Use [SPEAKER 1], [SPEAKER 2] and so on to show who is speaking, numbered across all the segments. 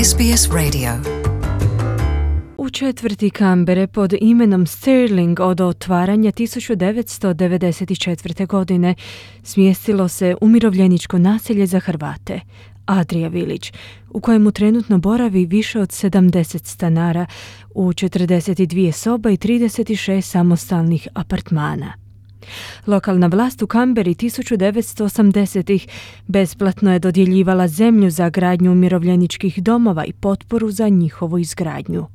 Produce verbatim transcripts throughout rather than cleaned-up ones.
[SPEAKER 1] S B S Radio.
[SPEAKER 2] U četvrti Kambere pod imenom Stirling od otvaranja tisuću devetsto devedeset četvrte. godine smjestilo se umirovljeničko naselje za Hrvate, Adria Village, u kojemu trenutno boravi više od sedamdeset stanara u četrdeset dvije soba i trideset šest samostalnih apartmana. Lokalna vlast u Kamberi tisuću devetsto osamdesetih besplatno je dodjeljivala zemlju za gradnju umirovljeničkih domova i potporu za njihovu izgradnju.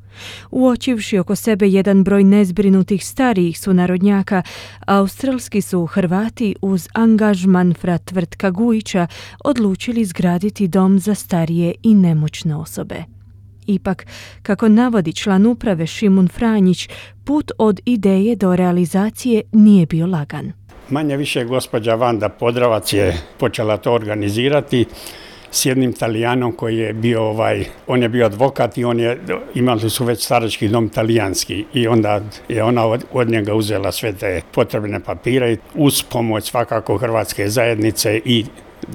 [SPEAKER 2] Uočivši oko sebe jedan broj nezbrinutih starijih sunarodnjaka, australski su Hrvati uz angažman fra Tvrtka Gujića odlučili izgraditi dom za starije i nemoćne osobe. Ipak, kako navodi član uprave Šimun Franjić, put od ideje do realizacije nije bio lagan.
[SPEAKER 3] Manje više gospođa Vanda Podravac je počela to organizirati s jednim Talijanom koji je bio, ovaj, on je bio advokat i on je, imali su već starački dom talijanski i onda je ona od, od njega uzela sve te potrebne papire uz pomoć svakako hrvatske zajednice i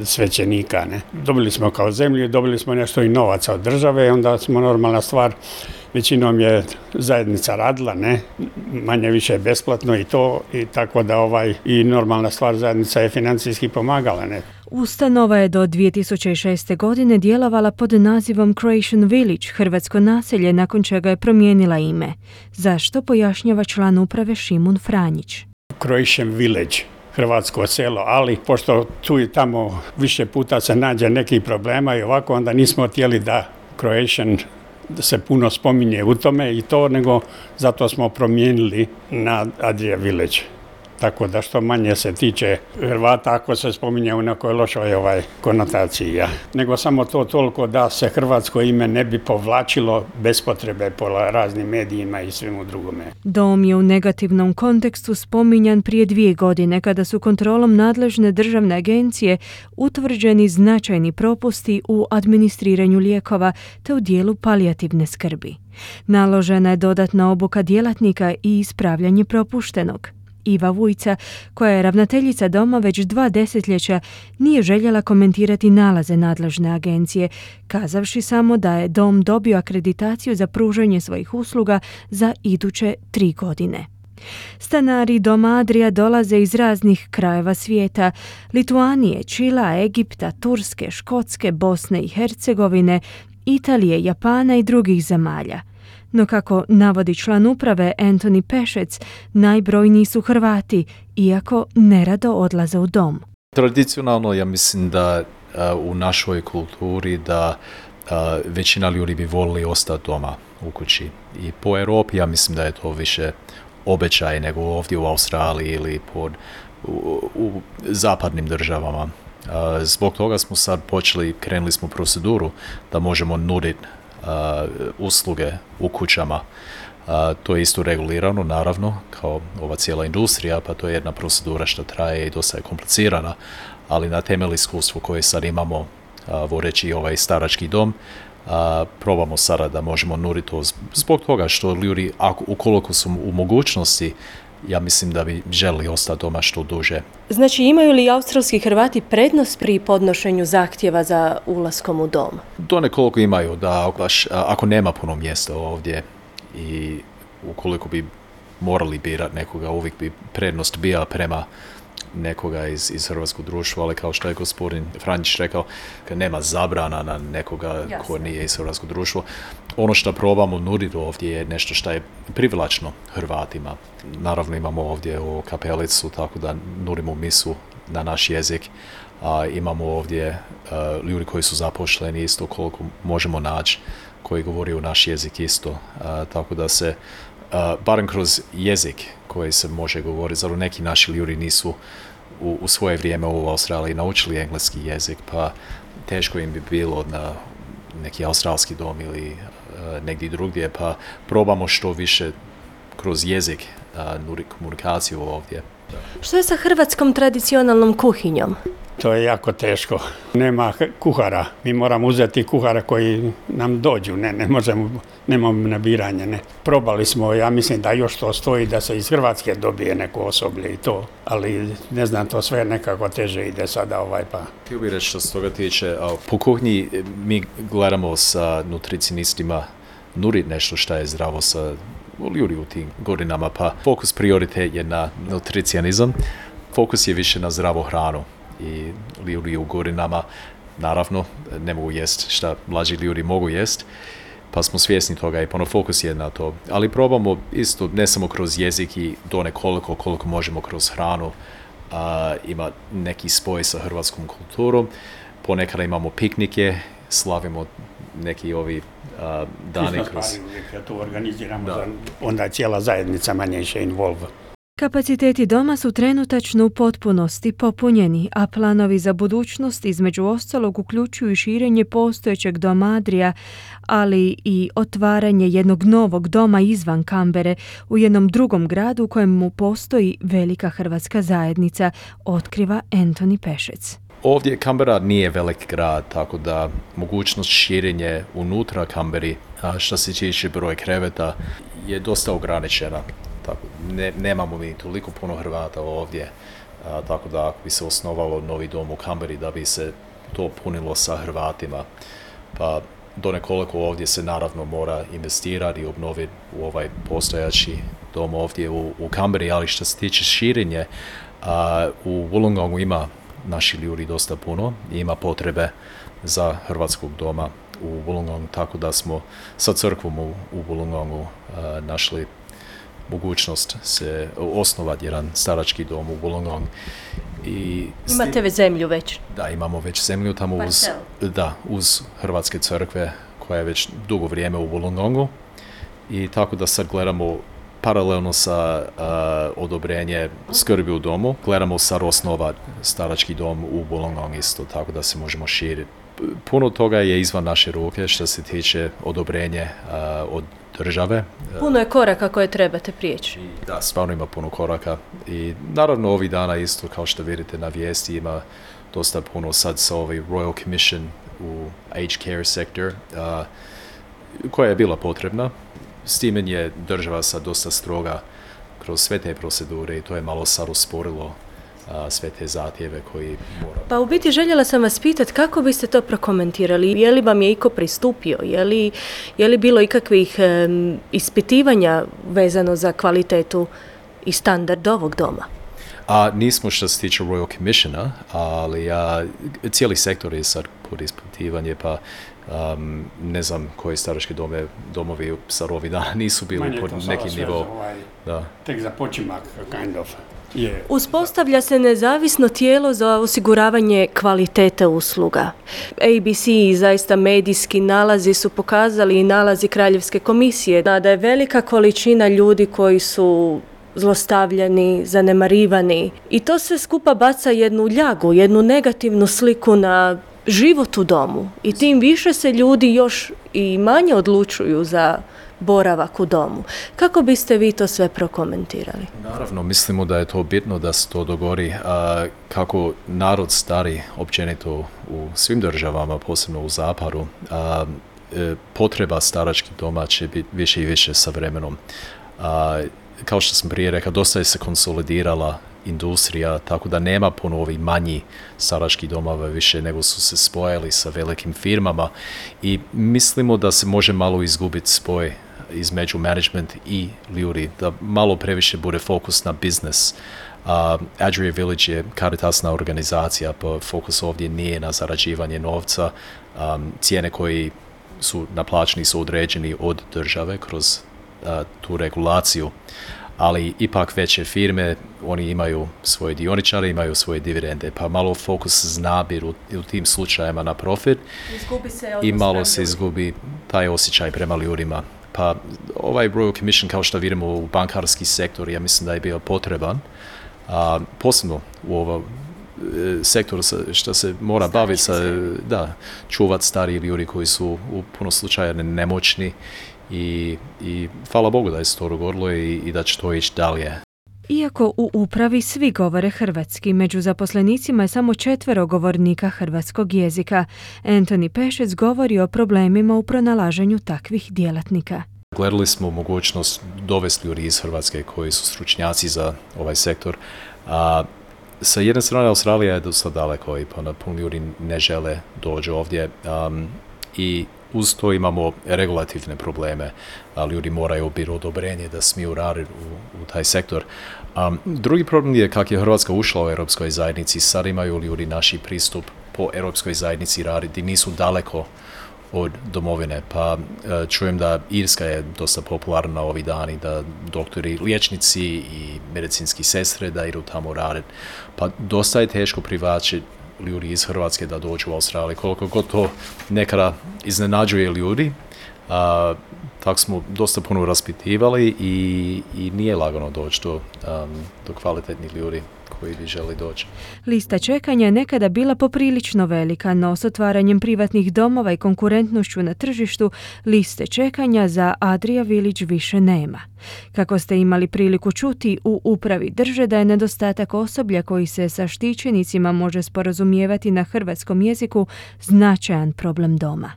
[SPEAKER 3] svećenika. Ne. Dobili smo kao zemlju, dobili smo nešto i novaca od države, onda smo normalna stvar, većinom je zajednica radila, ne, manje više besplatno i to, i tako da ovaj, i normalna stvar, zajednica je financijski pomagala. Ne.
[SPEAKER 2] Ustanova je do dvije tisuće šeste. godine djelovala pod nazivom Croatian Village, hrvatsko naselje, nakon čega je promijenila ime. Zašto, pojašnjava član uprave Šimun Franjić.
[SPEAKER 3] Croatian Village, hrvatsko selo, ali pošto tu i tamo više puta se nađe nekih problema i ovako, onda nismo htjeli da Croatian se puno spominje u tome i to, nego zato smo promijenili na Adria Village. Tako da što manje se tiče Hrvata ako se spominje u nekoj lošoj ovaj konotaciji. Ja. Nego samo to toliko da se hrvatsko ime ne bi povlačilo bez potrebe po raznim medijima i svemu drugome.
[SPEAKER 2] Dom je u negativnom kontekstu spominjan prije dvije godine kada su kontrolom nadležne državne agencije utvrđeni značajni propusti u administriranju lijekova te u dijelu palijativne skrbi. Naložena je dodatna obuka djelatnika i ispravljanje propuštenog. Iva Vujca, koja je ravnateljica doma već dva desetljeća, nije željela komentirati nalaze nadležne agencije, kazavši samo da je dom dobio akreditaciju za pružanje svojih usluga za iduće tri godine. Stanari doma Adria dolaze iz raznih krajeva svijeta: Lituanije, Čila, Egipta, Turske, Škotske, Bosne i Hercegovine, Italije, Japana i drugih zemalja. No kako navodi član uprave Antoni Pešec, najbrojniji su Hrvati, iako nerado odlaze u dom.
[SPEAKER 4] Tradicionalno ja mislim da uh, u našoj kulturi da uh, većina ljudi bi volili ostati doma u kući. I po Europi ja mislim da je to više običaj nego ovdje u Australiji ili pod, u, u zapadnim državama. Uh, zbog toga smo sad počeli, krenuli smo proceduru da možemo nuditi Uh, usluge u kućama. Uh, to je isto regulirano, naravno, kao ova cijela industrija, pa to je jedna procedura što traje i dosta je komplicirana, ali na temelju iskustva koje sad imamo, uh, vodeći ovaj starački dom, uh, probamo sada da možemo nuditi to zbog toga što ljudi, ako, ukoliko su u mogućnosti, ja mislim da bi želi ostati doma što duže.
[SPEAKER 5] Znači, imaju li australski Hrvati prednost pri podnošenju zahtjeva za ulaskom u dom?
[SPEAKER 4] Do nekoliko imaju, da ako nema puno mjesta ovdje i ukoliko bi morali birati nekoga, uvijek bi prednost bila prema nekoga iz, iz hrvatskog društva, ali kao što je gospodin Franjić rekao, kad nema zabrana na nekoga Jasne. Ko nije iz hrvatskog društva. Ono što probamo nuditi ovdje je nešto što je privlačno Hrvatima. Naravno imamo ovdje u kapelicu, tako da nudimo misu na naš jezik. A, imamo ovdje a, ljudi koji su zaposleni isto koliko možemo naći, koji govori naš jezik isto. A, tako da se, a, barem kroz jezik koji se može govoriti, zato neki naši ljudi nisu u, u svoje vrijeme u Australiji naučili engleski jezik, pa teško im bi bilo na neki australski dom ili uh, negdje drugdje, pa probamo što više kroz jezik uh, nuditi komunikaciju ovdje.
[SPEAKER 5] Što je sa hrvatskom tradicionalnom kuhinjom?
[SPEAKER 3] To je jako teško. Nema kuhara. Mi moramo uzeti kuhara koji nam dođu. Ne, ne možemo, nemamo nabiranje. Ne. Probali smo, ja mislim da još to stoji da se iz Hrvatske dobije neko osoblje i to. Ali ne znam, to sve nekako teže ide sada ovaj pa.
[SPEAKER 4] Htio bih reći što se toga tiče, po kuhnji mi gledamo sa nutricionistima nuditi nešto što je zdravo sa ljudi u tim godinama, pa fokus prioritet je na nutricionizam, fokus je više na zdravu hranu i ljudi u godinama naravno ne mogu jest šta mlađi ljudi mogu jest, pa smo svjesni toga i puno fokus je na to, ali probamo isto ne samo kroz jezik i do nekoliko koliko možemo kroz hranu a, ima neki spoj sa hrvatskom kulturom, ponekada imamo piknike, slavimo neki ovi a, dani kroz...
[SPEAKER 3] Ja to organiziramo, za, onda je cijela zajednica manje više involv.
[SPEAKER 2] Kapaciteti doma su trenutačno u potpunosti popunjeni, a planovi za budućnost između ostalog uključuju i širenje postojećeg doma Adria, ali i otvaranje jednog novog doma izvan Kambere u jednom drugom gradu u kojemu postoji velika hrvatska zajednica, otkriva Antoni Pešec.
[SPEAKER 4] Ovdje Kambera nije velik grad, tako da mogućnost širenje unutra Kamberi, a što se tiče broj kreveta, je dosta ograničena. Tako, ne, nemamo mi toliko puno Hrvata ovdje, a, tako da ako bi se osnovalo novi dom u Kamberi da bi se to punilo sa Hrvatima, pa do nekoliko ovdje se naravno mora investirati i obnoviti u ovaj postojači dom ovdje u, u Kamberi, ali što se tiče širenje, a, u Wollongongu ima naši ljudi dosta puno i ima potrebe za hrvatskog doma u Wollongongu, tako da smo sa crkvom u, u Wollongongu a, našli mogućnost se osnovati jedan starački dom u Wollongong. I
[SPEAKER 5] imate već zemlju već?
[SPEAKER 4] Da, imamo već zemlju tamo uz, da, uz Hrvatske crkve koja je već dugo vrijeme u Wollongongu i tako da sad gledamo paralelno sa uh, odobrenje skrbi u domu, gledamo sad osnovati starački dom u Wollongong isto, tako da se možemo širiti. Puno toga je izvan naše ruke što se tiče odobrenje uh, od države.
[SPEAKER 5] Puno je koraka koje trebate prijeći.
[SPEAKER 4] Da, stvarno ima puno koraka i naravno ovih dana isto kao što vidite na vijesti ima dosta puno sad sa ovaj Royal Commission u aged care sector uh, koja je bila potrebna. S time je država sad dosta stroga kroz sve te procedure i to je malo sad usporilo a, sve te zahtjeve koji mora.
[SPEAKER 5] Pa u biti željela sam vas pitati kako biste to prokomentirali, je li vam je iko pristupio, je li, je li bilo ikakvih um, ispitivanja vezano za kvalitetu i standard ovog doma?
[SPEAKER 4] A nismo što se tiče Royal Commissiona, ali a, cijeli sektor je sad pod ispitivanje, pa um, ne znam koji starački dome, domovi sad ovih dana nisu bili
[SPEAKER 3] Manje
[SPEAKER 4] pod nekim nivo.
[SPEAKER 3] Ovaj,
[SPEAKER 4] da.
[SPEAKER 3] Tek za počimak, kind of. Yeah.
[SPEAKER 5] Uspostavlja se nezavisno tijelo za osiguravanje kvalitete usluga. A B C i zaista medijski nalazi su pokazali i nalazi Kraljevske komisije da je velika količina ljudi koji su zlostavljani, zanemarivani i to sve skupa baca jednu ljagu, jednu negativnu sliku na život u domu i tim više se ljudi još i manje odlučuju za boravak u domu. Kako biste vi to sve prokomentirali?
[SPEAKER 4] Naravno, mislimo da je to bitno da se to dogodi. A, kako narod stari općenito u svim državama, posebno u zapadu, a, e, potreba staračkih doma će biti više i više sa vremenom. A, kao što sam prije rekao, dosta je se konsolidirala industrija, tako da nema puno ovih manji staračkih domova više, nego su se spojili sa velikim firmama i mislimo da se može malo izgubiti spoj između management i ljudi, da malo previše bude fokus na biznis. Uh, Adria Village je karitasna organizacija, pa fokus ovdje nije na zarađivanje novca. Um, cijene koji su naplaćeni su određeni od države kroz uh, tu regulaciju, ali ipak veće firme, oni imaju svoje dioničare, imaju svoje dividende, pa malo fokus zna biti u, u tim slučajima na profit i malo se izgubi taj osjećaj prema ljudima. Pa ovaj Royal Commission, kao što vidimo u bankarski sektor, ja mislim da je bio potreban, a, posebno u ovom sektoru što se mora baviti sa, da, čuvati stariji ljudi koji su u puno slučaja nemoćni i, i hvala Bogu da je se to dogodilo i, i da će to ići dalje.
[SPEAKER 2] Iako u upravi svi govore hrvatski, među zaposlenicima je samo četvero govornika hrvatskog jezika. Anthony Pešec govori o problemima u pronalaženju takvih djelatnika.
[SPEAKER 4] Gledali smo mogućnost dovesti ljudi iz Hrvatske koji su stručnjaci za ovaj sektor. A, sa jedne strane Australija je dosta daleko i puno ljudi ne žele doći ovdje. Um, I uz to imamo regulativne probleme. A, ljudi moraju dobiti odobrenje da smiju raditi u, u taj sektor. Um, drugi problem je kako je Hrvatska ušla u Europskoj zajednici. Sad imaju ljudi naši pristup po Europskoj zajednici raditi, nisu daleko od domovine, pa čujem da Irska je dosta popularna ovih dani, da doktori, liječnici i medicinski sestre da idu tamo raditi. Pa dosta je teško privlačiti ljudi iz Hrvatske da dođu u Australiju. Koliko god to nekada iznenađuje ljudi, a, tako smo dosta puno raspitivali i, i nije lagano doći do, um, do kvalitetnih ljudi koji bi želi doći.
[SPEAKER 2] Lista čekanja je nekada bila poprilično velika, no s otvaranjem privatnih domova i konkurentnošću na tržištu, liste čekanja za Adria Village više nema. Kako ste imali priliku čuti, u upravi drže da je nedostatak osoblja koji se sa štićenicima može sporazumijevati na hrvatskom jeziku značajan problem doma.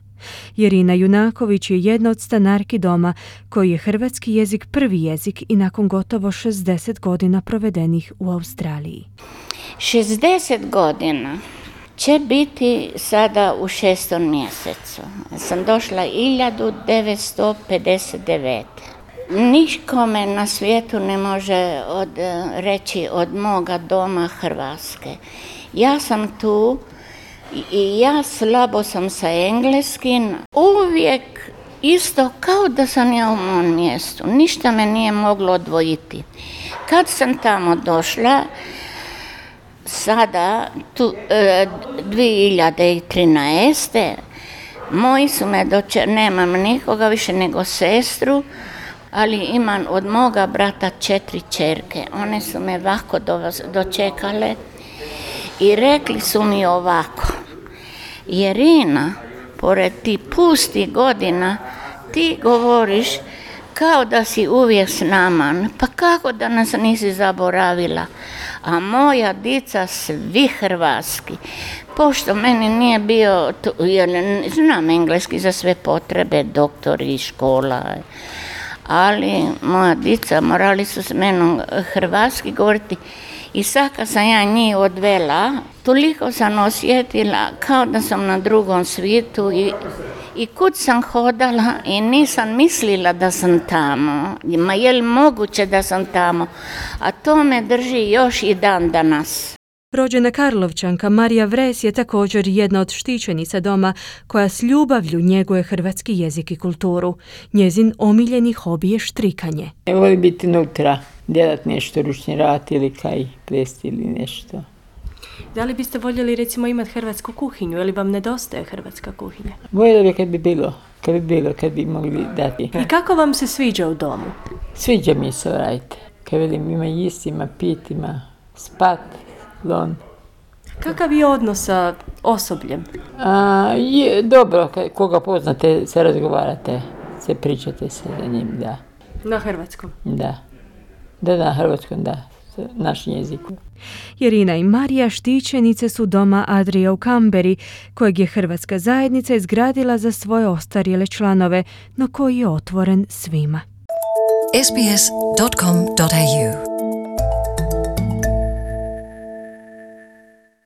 [SPEAKER 2] Irina Junaković je jedna od stanarki doma koji je hrvatski jezik prvi jezik i nakon gotovo šezdeset godina provedenih u Australiji.
[SPEAKER 1] šezdeset godina će biti sada u šestom mjesecu. Sam došla hiljadu devetsto pedeset devete. Nikome na svijetu ne može od, reći od moga doma Hrvatske. Ja sam tu i ja slabo sam sa engleskim, uvijek isto kao da sam ja u mom mjestu. Ništa me nije moglo odvojiti. Kad sam tamo došla, sada, tu, dvije hiljade trinaeste. Moji su me dočekali, nemam nikoga više nego sestru, ali imam od moga brata četiri čerke. One su me ovako dočekale i rekli su mi ovako: Irina, pored ti pustih godina, ti govoriš kao da si uvijek s nama, pa kako da nas nisi zaboravila? A moja dica svi hrvatski, pošto meni nije bio, jer znam engleski za sve potrebe, doktori, škola, ali moja dica morali su s menom hrvatski govoriti. I sad kad sam ja njih odvela, toliko sam osjetila kao da sam na drugom svijetu i, i kud sam hodala i nisam mislila da sam tamo. Ma je li moguće da sam tamo? A to me drži još i dan danas.
[SPEAKER 2] Rođena Karlovčanka Marija Vres je također jedna od štićenica doma koja s ljubavlju njeguje hrvatski jezik i kulturu. Njezin omiljeni hobi je štrikanje.
[SPEAKER 6] Ne voli biti nutra, djelat nešto, ručni rad ili kaj, plesti ili nešto.
[SPEAKER 5] Da li biste voljeli recimo imati hrvatsku kuhinju ili vam nedostaje hrvatska kuhinja?
[SPEAKER 6] Voljela bi kad bi bilo, kad bi bilo, kad bi mogli dati.
[SPEAKER 5] I kako vam se sviđa u domu?
[SPEAKER 6] Sviđa mi se, radite. Kad vidim, ima jist, ima pit, ima spat. Lon.
[SPEAKER 5] Kakav je odnos sa osobljem?
[SPEAKER 6] A, je, dobro, koga poznate, se razgovarate, se pričate se za njim, da.
[SPEAKER 5] Na hrvatskom?
[SPEAKER 6] Da. Da, na hrvatskom, da. Našem jeziku.
[SPEAKER 2] Irina i Marija štićenice su doma Adria u Kamberi, kojeg je hrvatska zajednica izgradila za svoje ostarjele članove, no koji je otvoren svima.
[SPEAKER 7] es be es dot com dot a u